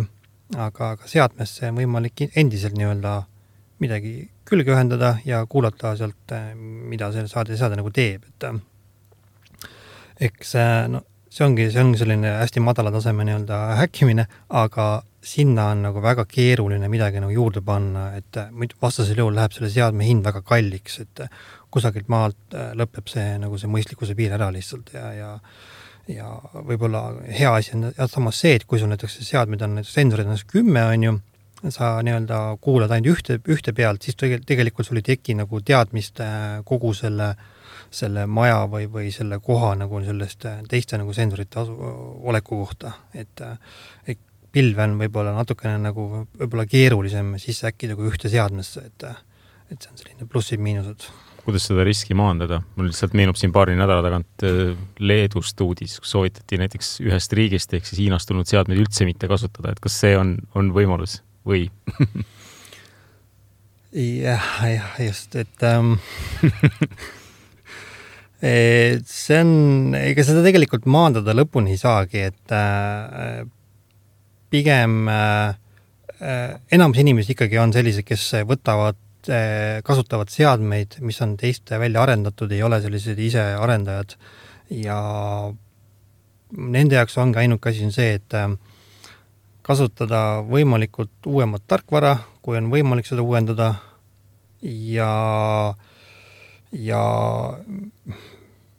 aga, aga seadmesse on võimalik endiselt nii-öelda midagi külge ühendada ja kuulata sealt, mida see saade, saade nagu teeb. Et eks no, see ongi, see ongi selline hästi madala taseme nii-öelda häkkimine, aga sinna on nagu väga keeruline midagi nagu juurde panna, et vastasel juhul läheb selle seadme hind väga kalliks, et kusagilt maalt lõpeb see, nagu see mõistlikkuse piir ära lihtsalt ja, ja, ja võib-olla hea asi on ja samas see, et kui sul näiteks seadmed on, näiteks sensorid on kümme, on ju, sa nii-öelda kuulad ainult ühte, ühte pealt, siis tegelikult sul ei teki nagu teadmist kogu selle, selle maja või, või selle koha nagu sellest teiste nagu sensorite asu, oleku kohta, et, et pilve on võib-olla natukene nagu võib-olla keerulisem sisse äkkida kui ühte seadmesse, et, et see on selline plussid miinused. Kuidas seda riski maandada? Mul lihtsalt meenub siin paari nädala tagant Leedust uudis, kus soovitati näiteks ühest riigist ehk siis Hiinast tulnud seadmeid üldse mitte kasutada, et kas see on, on võimalus või? jah, jah, just, et ähm, see on, ega seda tegelikult maandada lõpuni ei saagi, et äh, pigem äh, enamus inimesi ikkagi on sellised, kes võtavad kasutavad seadmeid, mis on teiste välja arendatud, ei ole sellised ise arendajad ja nende jaoks ongi ainuke asi on see, et kasutada võimalikult uuemat tarkvara, kui on võimalik seda uuendada ja ja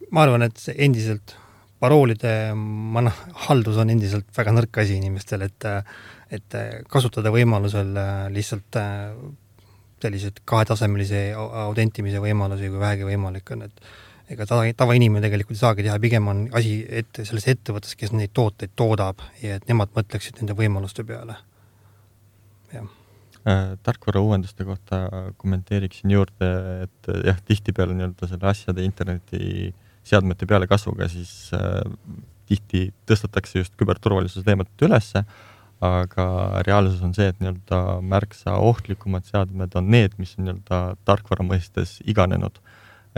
ma arvan, et see endiselt paroolide mana, haldus on endiselt väga nõrk asi inimestel, et, et kasutada võimalusel lihtsalt sellised kahetasemelise autentimise võimalusi, kui vähegi võimalik on, et ega tava, tavainimene tegelikult ei saagi teha, pigem on asi ette, selles ettevõttes, kes neid tooteid toodab ja et nemad mõtleksid nende võimaluste peale. Jah. Tarkvara uuenduste kohta kommenteeriksin juurde, et jah, tihtipeale nii-öelda selle asjade interneti seadmete peale kasvuga, siis äh, tihti tõstetakse just küberturvalisuse teemat ülesse, aga reaalsus on see, et nii-öelda märksa ohtlikumad seadmed on need, mis on nii-öelda tarkvara mõistes iganenud.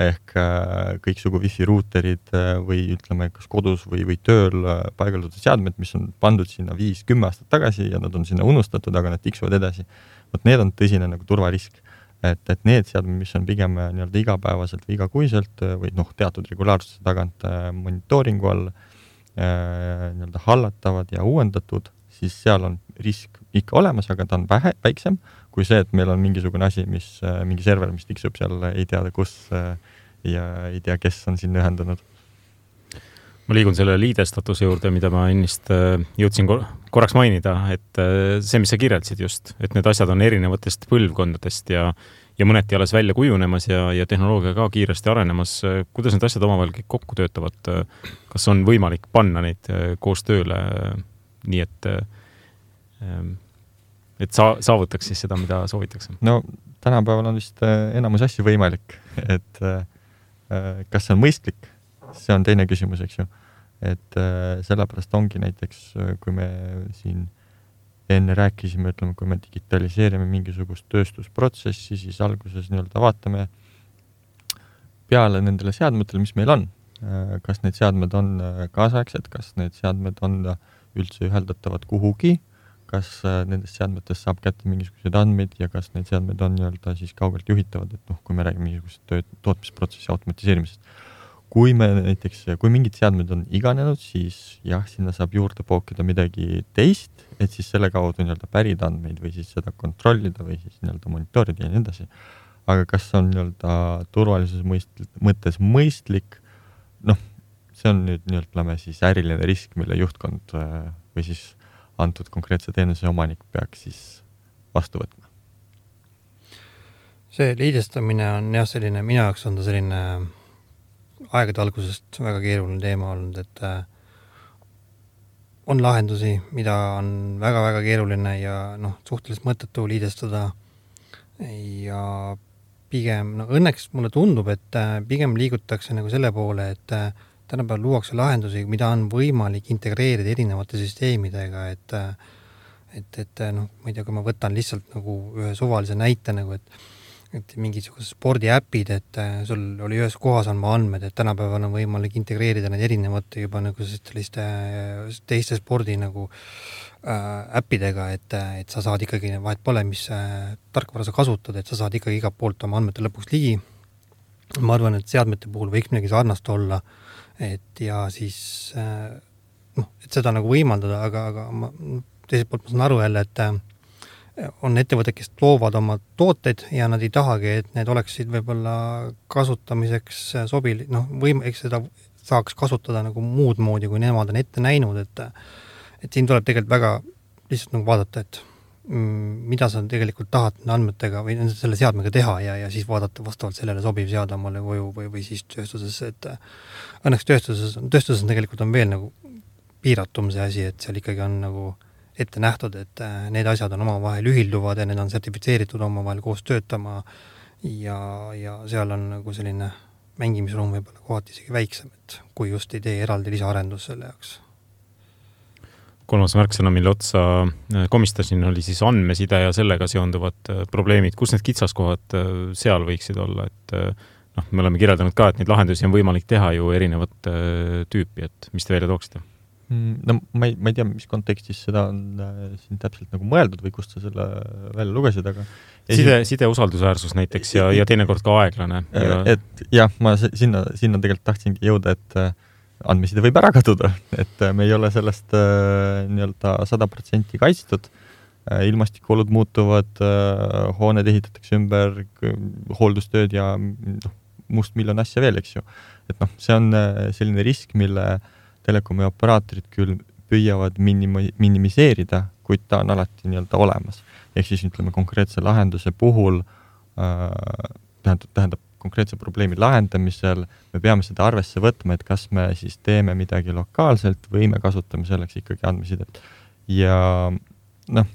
Ehk äh, kõiksugu wifi ruuterid äh, või ütleme, kas kodus või, või tööl äh, paigaldatud seadmed, mis on pandud sinna viis kümme aastat tagasi ja nad on sinna unustatud, aga nad tiksuvad edasi. Võt need on tõsine nagu turvarisk. Et, et need seadmed, mis on pigem nii-öelda igapäevaselt või igakuiselt või noh, teatud regulaarsuse tagant monitooringu all nii-öelda hallatavad ja uuendatud, siis seal on risk ikka olemas, aga ta on vähe, väiksem kui see, et meil on mingisugune asi, mis, mingi server, mis tiksub seal, ei tea kus ja ei tea, kes on sinna ühendanud. Ma liigun selle liidestatuse juurde, mida ma ennist jõudsin korraks mainida, et see, mis sa kirjeldasid just, et need asjad on erinevatest põlvkondadest ja, ja mõneti alles välja kujunemas ja, ja tehnoloogia ka kiiresti arenemas. Kuidas need asjad omavahel kõik kokku töötavad? Kas on võimalik panna neid koos tööle nii, et, et sa, saavutaks siis seda, mida soovitakse? No tänapäeval on vist enamus asju võimalik, et kas see on mõistlik? See on teine küsimus, eks ju. Et äh, sellepärast ongi näiteks, kui me siin enne rääkisime, ütleme, kui me digitaliseerime mingisugust tööstusprotsessi, siis alguses nii-öelda vaatame peale nendele seadmetele, mis meil on. Kas need seadmed on kaasaegsed, kas need seadmed on üldse üheldatavad kuhugi, kas nendest seadmetest saab kätte mingisugused andmeid ja kas need seadmed on nii-öelda siis kaugelt juhitavad, et noh, kui me räägime mingisugust tööt- tootmisprotsessi automatiseerimisest. Kui me näiteks, kui mingid seadmed on iganenud, siis jah, sinna saab juurde pookida midagi teist, et siis selle kaudu nii-öelda pärida andmeid või siis seda kontrollida või siis nii-öelda monitorida ja nii edasi. Aga kas on nii-öelda turvalisuse mõist, mõttes mõistlik? Noh, see on nüüd nii-öelda siis äriline risk, mille juhtkond või siis antud konkreetse teenuse omanik peaks siis vastu võtma. See liidestamine on jah selline, minu jaoks on ta selline aegade algusest väga keeruline teema olnud, et on lahendusi, mida on väga-väga keeruline ja noh, suhteliselt mõttetu liidestada ja pigem, no õnneks mulle tundub, et pigem liigutakse nagu selle poole, et tänapäeval luuakse lahendusi, mida on võimalik integreerida erinevate süsteemidega, et et, et noh, ma ei tea, kui ma võtan lihtsalt nagu ühe suvalise näite nagu, et et mingisugused spordiäpid, et sul oli ühes kohas on ma andmed, et tänapäeval on võimalik integreerida need erinevate juba nagu selliste teiste spordi nagu äh, äppidega, et, et sa saad ikkagi, vahet pole, mis äh, tarkvara sa kasutad, et sa saad ikkagi igalt poolt oma andmete lõpuks ligi. Ma arvan, et seadmete puhul võiks midagi sarnast olla, et ja siis äh, noh, et seda nagu võimaldada, aga, aga ma, teiselt poolt ma saan aru jälle, et on ettevõtted, kes loovad oma tooteid ja nad ei tahagi, et need oleksid võib-olla kasutamiseks sobil, noh, võim, eks seda saaks kasutada nagu muud moodi, kui nemad on ette näinud, et et siin tuleb tegelikult väga lihtsalt nagu vaadata, et mm, mida sa tegelikult tahad andmetega või selle seadmega teha ja, ja siis vaadata vastavalt sellele sobiv seada omale koju või, või siis tööstuses, et õnneks tööstuses, tööstuses tegelikult on veel nagu piiratum see asi, et seal ikkagi on nagu ette nähtud, et need asjad on omavahel ühilduvad ja need on sertifitseeritud omavahel koos töötama ja, ja seal on nagu selline mängimisruum võib-olla kohati isegi väiksem, et kui just ei tee eraldi lisaarendus selle jaoks. Kolmas märksõna, mille otsa komistasin, oli siis andmeside ja sellega seonduvad probleemid. Kus need kitsaskohad seal võiksid olla? Et noh, me oleme kirjeldanud ka, et neid lahendusi on võimalik teha ju erinevat tüüpi, et mis te välja tooksite? No ma ei, ma ei tea, mis kontekstis seda on siin täpselt nagu mõeldud või kust sa selle välja lugesid, aga side, side usaldusväärsus näiteks ja, ja teinekord ka aeglane. Ja... Et jah, ma sinna, sinna tegelikult tahtsingi jõuda, et andmeside võib ära kaduda, et me ei ole sellest nii-öelda sada protsenti kaitstud. Ilmastikuolud muutuvad, hooned ehitatakse ümber, hooldustööd ja noh, must miljon asja veel, eks ju. Et noh, see on selline risk, mille telekomi operaatorid küll püüavad minimi- minimiseerida, kuid ta on alati nii-öelda olemas. Ehk siis ütleme konkreetse lahenduse puhul äh, tähendab, tähendab konkreetse probleemi lahendamisel me peame seda arvesse võtma, et kas me siis teeme midagi lokaalselt või me kasutame selleks ikkagi andmesidet. Ja noh,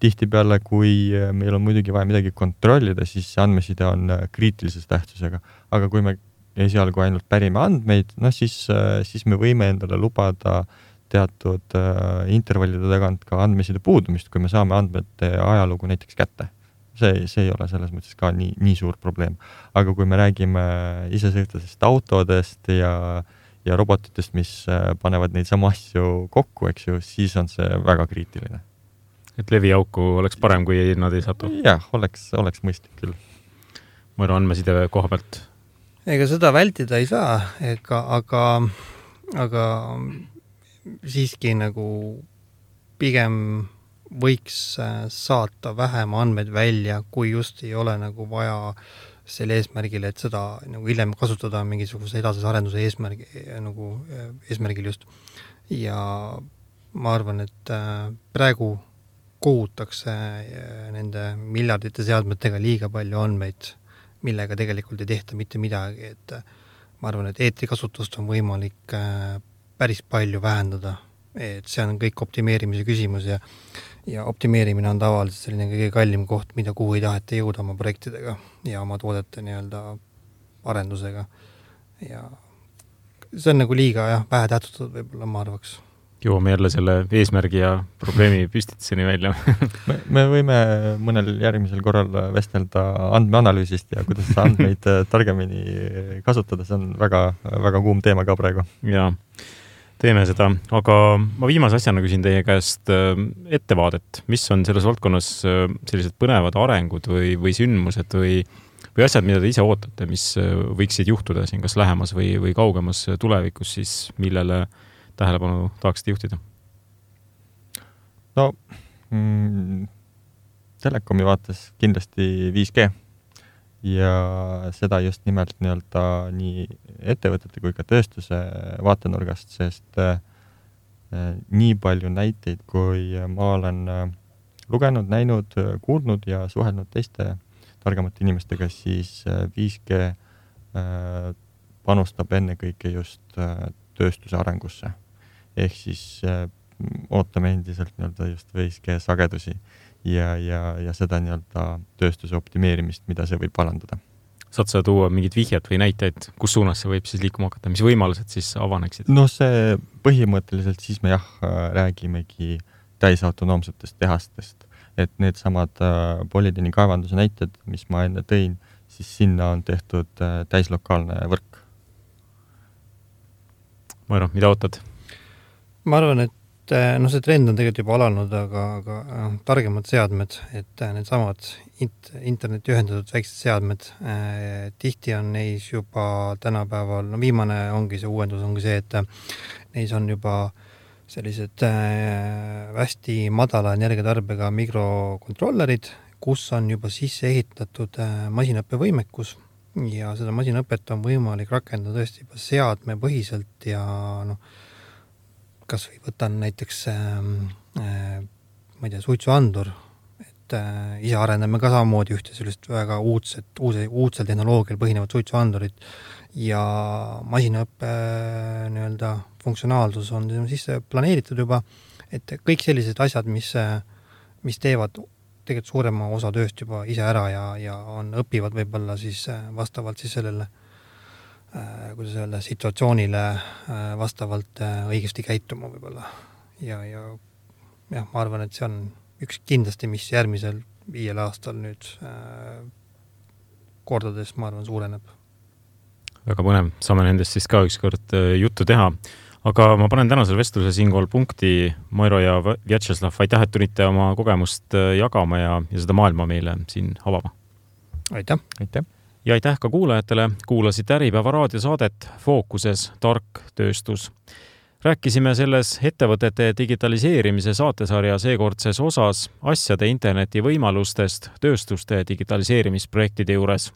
tihtipeale, kui meil on muidugi vaja midagi kontrollida, siis andmeside on kriitilises tähtsusega. Aga kui me esialgu ainult pärime andmeid, no siis, siis me võime endale lubada teatud intervallide tagant ka andmeside puudumist, kui me saame andmete ajalugu näiteks kätte. See, see ei ole selles mõttes ka nii, nii suur probleem. Aga kui me räägime isesõitvatest autodest ja, ja robotitest, mis panevad neid samu asju kokku, eks ju, siis on see väga kriitiline. Et leviauku oleks parem, kui nad ei satu? Jah, oleks, oleks mõistlik küll. Ma arvan, andmeside koha pealt. Ega seda vältida ei saa, ega, aga, aga siiski nagu pigem võiks saata vähem andmeid välja, kui just ei ole nagu vaja selle eesmärgile, et seda nagu hiljem kasutada mingisuguse edasise arenduse eesmärgi, nagu eesmärgil just. Ja ma arvan, et praegu kohutakse nende miljardite seadmetega liiga palju andmeid, millega tegelikult ei tehta mitte midagi, et ma arvan, et eetrikasutust on võimalik päris palju vähendada, et see on kõik optimeerimise küsimus ja ja optimeerimine on tavaliselt selline kõige kallim koht, mida kuhu ei taheta jõuda oma projektidega ja oma toodete nii-öelda arendusega. Ja see on nagu liiga jah, vähe tähtsustatud võib-olla, ma arvaks. Jõuame jälle selle eesmärgi ja probleemi püstituseni välja. me, me võime mõnel järgmisel korral vestelda andmeanalüüsist ja kuidas andmeid targemini kasutada, see on väga, väga kuum teema ka praegu. Jaa. Teeme seda, aga ma viimase asjana küsin teie käest ettevaadet. Mis on selles valdkonnas sellised põnevad arengud või, või sündmused või, või asjad, mida te ise ootate, mis võiksid juhtuda siin kas lähemas või, või kaugemas tulevikus, siis millele tähelepanu tahaksite juhtida? No, mm, telekomi vaates kindlasti viis G ja seda just nimelt nii-öelda nii ettevõtete kui ka tööstuse vaatenurgast, sest äh, nii palju näiteid, kui ma olen äh, lugenud, näinud, kuulnud ja suhelnud teiste targemate inimestega, siis äh, viis G äh, panustab ennekõike just äh, tööstuse arengusse. Ehk siis äh, ootame endiselt nii-öelda just viis G sagedusi ja, ja, ja seda nii-öelda tööstuse optimeerimist, mida see võib parandada. Saad sa tuua mingid vihjad või näiteid, kus suunas see võib siis liikuma hakata, mis võimalused siis avaneksid? No see põhimõtteliselt siis me jah, räägimegi täisautonoomsetest tehastest, et need samad polüdeeni kaevanduse näited, mis ma enne tõin, siis sinna on tehtud täislokaalne võrk. Mairo, mida ootad? Ma arvan, et no see trend on tegelikult juba alanud, aga, aga targemad seadmed, et need samad int, interneti ühendatud väiksed seadmed, eh, tihti on neis juba tänapäeval, no viimane ongi see uuendus, ongi see, et neis on juba sellised eh, hästi madala energiatarbega mikrokontrollerid, kus on juba sisse ehitatud eh, masinaõppevõimekus ja seda masinaõpet on võimalik rakendada tõesti juba seadme põhiselt ja noh, kas või võtan näiteks äh, ma ei tea, suitsuandur, et äh, ise arendame ka samamoodi ühte sellist väga uudset, uuse, uudsel tehnoloogial põhinevat suitsuandurit ja masinaõppe äh, nii-öelda funktsionaalsus on sisse planeeritud juba, et kõik sellised asjad, mis, mis teevad tegelikult suurema osa tööst juba ise ära ja, ja on, õpivad võib-olla siis vastavalt siis sellele kuidas öelda, situatsioonile vastavalt õigesti käituma võib-olla. Ja, ja jah, ma arvan, et see on üks kindlasti, mis järgmisel viiel aastal nüüd äh, kordades, ma arvan, suureneb. Väga põnev, saame nendest siis ka ükskord juttu teha. Aga ma panen tänasel vestluse siinkohal punkti. Mairo ja Vjatšeslav, aitäh, et tulite oma kogemust jagama ja, ja seda maailma meile siin avama. Aitäh! Aitäh! Ja aitäh ka kuulajatele, kuulasite Äripäeva raadiosaadet Fookuses tark tööstus. Rääkisime selles ettevõtete digitaliseerimise saatesarja seekordses osas asjade interneti võimalustest tööstuste digitaliseerimisprojektide juures.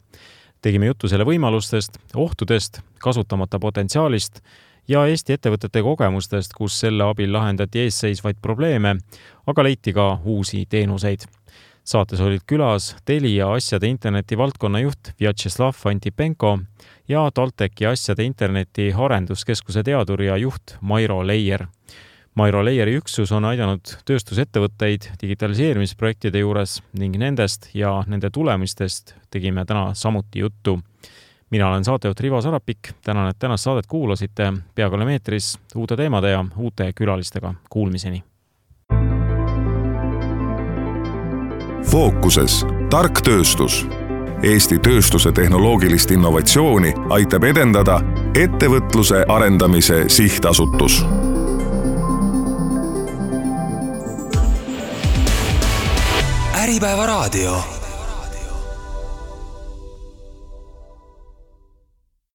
Tegime juttu selle võimalustest, ohtudest, kasutamata potentsiaalist ja Eesti ettevõtete kogemustest, kus selle abil lahendati eesseisvaid probleeme, aga leiti ka uusi teenuseid. Saates olid külas Telia asjade interneti valdkonna juht Vjatšeslav Antipenko ja TalTechi asjade interneti arenduskeskuse teadur ja juht Mairo Leier. Mairo Leieri üksus on aidanud tööstusettevõtteid digitaliseerimisprojektide juures ning nendest ja nende tulemistest tegime täna samuti juttu. Mina olen saatejuht Rivo Sarapik, tänan, et tänast saadet kuulasite, peaaegu oleme eetris uute teemade ja uute külalistega. Kuulmiseni! Fookuses tark tööstus. Eesti tööstuse tehnoloogilist innovatsiooni aitab edendada ettevõtluse arendamise sihtasutus. Äripäeva raadio.